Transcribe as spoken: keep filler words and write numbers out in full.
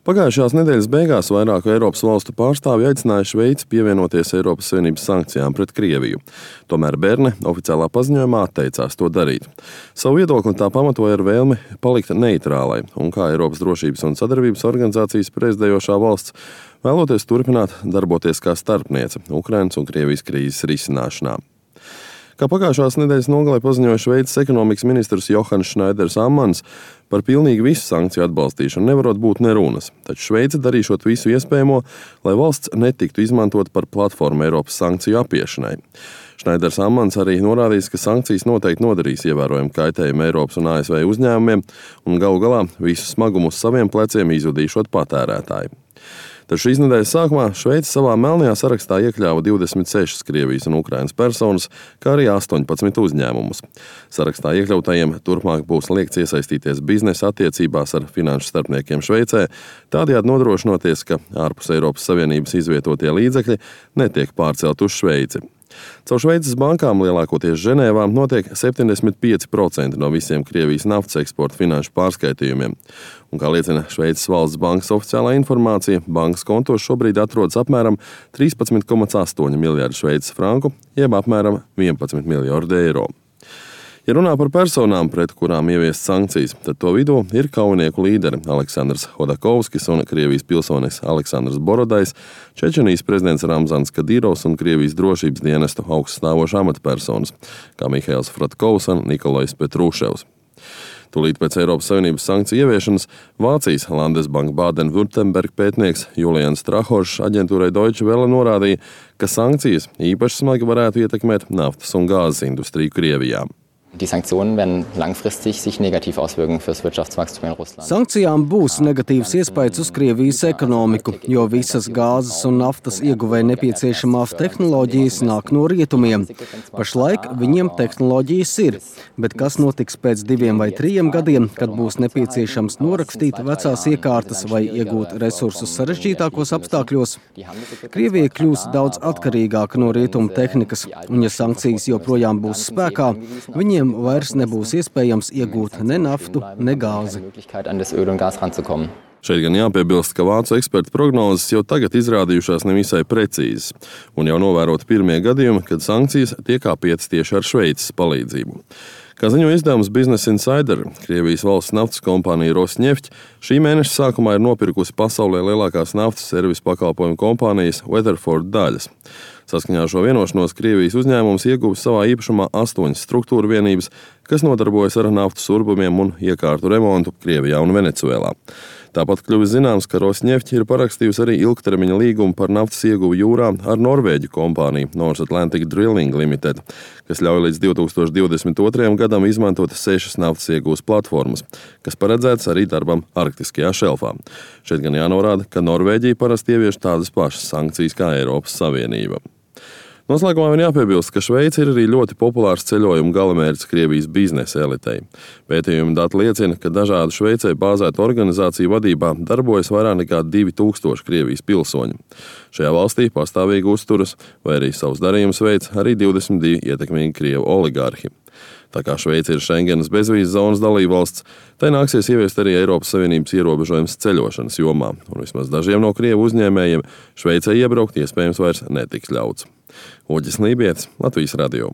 Pagājušās nedēļas beigās vairāku Eiropas valstu pārstāvji aicināja Šveici pievienoties Eiropas Savienības sankcijām pret Krieviju. Tomēr Berne oficiālā paziņojumā atteicās to darīt. Savu viedokli tā pamatoja ar vēlmi palikt neitrālai un kā Eiropas drošības un sadarbības organizācijas prezidējošā valsts vēloties turpināt darboties kā starpniece Ukrainas un Krievijas krīzes risināšanā. Kā pagājušās nedēļas nogalē paziņoja Šveices ekonomikas ministrs Johans Šnaiders Ammans, par pilnīgi visu sankciju atbalstīšanu nevarot būt nerunas, taču Šveice darīšot visu iespējamo, lai valsts netiktu izmantot par platformu Eiropas sankciju apiešanai. Šnaiders Ammans arī norādījis, ka sankcijas noteikti nodarīs ievērojumu kaitējumu Eiropas un A S V uzņēmumiem un galu galā visu smagumu uz saviem pleciem izjudīšot patērētāji. Taču šīs nedēļas sākumā Šveice savā melnajā sarakstā iekļāva divdesmit sešas Krievijas un Ukrainas personas, kā arī astoņpadsmit uzņēmumus. Sarakstā iekļautajiem turpmāk būs liegts iesaistīties biznesa attiecībās ar finanšu starpniekiem Šveicē, tādējādi nodrošinoties, ka ārpus Eiropas Savienības izvietotie līdzekļi netiek pārcelt uz Šveici. Caur Šveices bankām, lielākoties Ženēvā, notiek septiņdesmit pieci procenti no visiem Krievijas naftas eksporta finanšu pārskaitījumiem. Un, kā liecina Šveices valsts bankas oficiālā informācija, bankas kontos šobrīd atrodas apmēram trīspadsmit komats astoņi miljardi šveices franku, jeb apmēram vienpadsmit miljardi eiro. Ja runā par personām, pret kurām ieviest sankcijas, tad to vidū ir kaujinieku līderi Aleksandrs Hodakovskis un Krievijas pilsonis Aleksandrs Borodais, Čečenijas prezidents Ramzans Kadīrovs un Krievijas drošības dienestu augststāvošas amatpersonas, kā Mihails Fratkovs un Nikolais Petruševs. Tūlīt pēc Eiropas Savienības sankciju ieviešanas Vācijas Landesbank Baden-Württemberg pētnieks Julians Trahošs aģentūrai Deutsche Welle norādīja, ka sankcijas īpaši smagi varētu ietekmēt naftas un gāzes industriju Krievijā. Die Sanktionen werden langfristig sich negativ auswirken fürs Wirtschaftswachstum in Russland. Sankcijām būs negatīvs iespējas uz Krievijas ekonomiku, jo visas gāzes un naftas ieguvēja nepieciešamās tehnoloģijas nāk no rietumiem. Pašlaik viņiem tehnoloģijas ir, bet kas notiks pēc diviem vai trījiem gadiem, kad būs nepieciešams norakstīt vecās iekārtas vai iegūt resursus sarežģītākos apstākļos? Krievija kļūs daudz atkarīgāka no rietumu tehnikas, un ja sankcijas joprojām būs spēkā, viņiem vairs nebūs iespējams iegūt ne naftu, ne gāzi. Šeit gan jāpiebilst, ka vācu ekspertu prognozes jau tagad izrādījušās nevisai precīzas, un jau novērot pirmie gadījumi, kad sankcijas tiek apietas tieši ar Šveices palīdzību. Kā ziņo izdevums Business Insider, Krievijas valsts naftas kompānija Rosneft šī mēneša sākumā ir nopirkusi pasaulē lielākās naftas servisu pakalpojumu kompānijas Weatherford daļas. Saskaņā ar šo vienošanos Krievijas uzņēmums ieguvis savā īpašumā astoņas struktūra vienības, kas nodarbojas ar naftas urbumiem un iekārtu remontu Krievijā un Venecuēlā. Tāpat kļuvis zināms, ka Rosneft ir parakstījusi arī ilgtermiņa līgumu par naftas ieguvi jūrā ar norvēģu kompāniju North Atlantic Drilling Limited, kas ļauj līdz divi tūkstoši divdesmit otrajam gadam izmantot sešas naftas iegūs platformas, kas paredzētas arī darbam Arktiskajā šelfā. Šeit gan jānorāda, ka Norvēģija parasti ievieš tādas pašas sankcijas kā Eiropas Savienība. Noslēgumā vien jāpiebilst, ka Šveice ir arī ļoti populārs ceļojumu galamērķis Krievijas biznesa elitei. Pētījumi dati liecina, ka dažādu Šveicē bāzētu organizāciju vadībā darbojas vairāk nekā divi tūkstoši Krievijas pilsoņu. Šajā valstī pastāvīgi uzturas vai arī savus darījumus veic arī divdesmit divi ietekmīgi krievu oligārhi. Tā kā Šveice ir Schengenas bezvīzes zonas dalībvalsts, tai nāksies ieviest arī Eiropas Savienības ierobežojums ceļošanas jomā, un vismaz dažiem no krievu uzņēmējiem Šveicē iebraukt iespējams vairs netiks ļauts. Uģis Lībietis, Latvijas radio.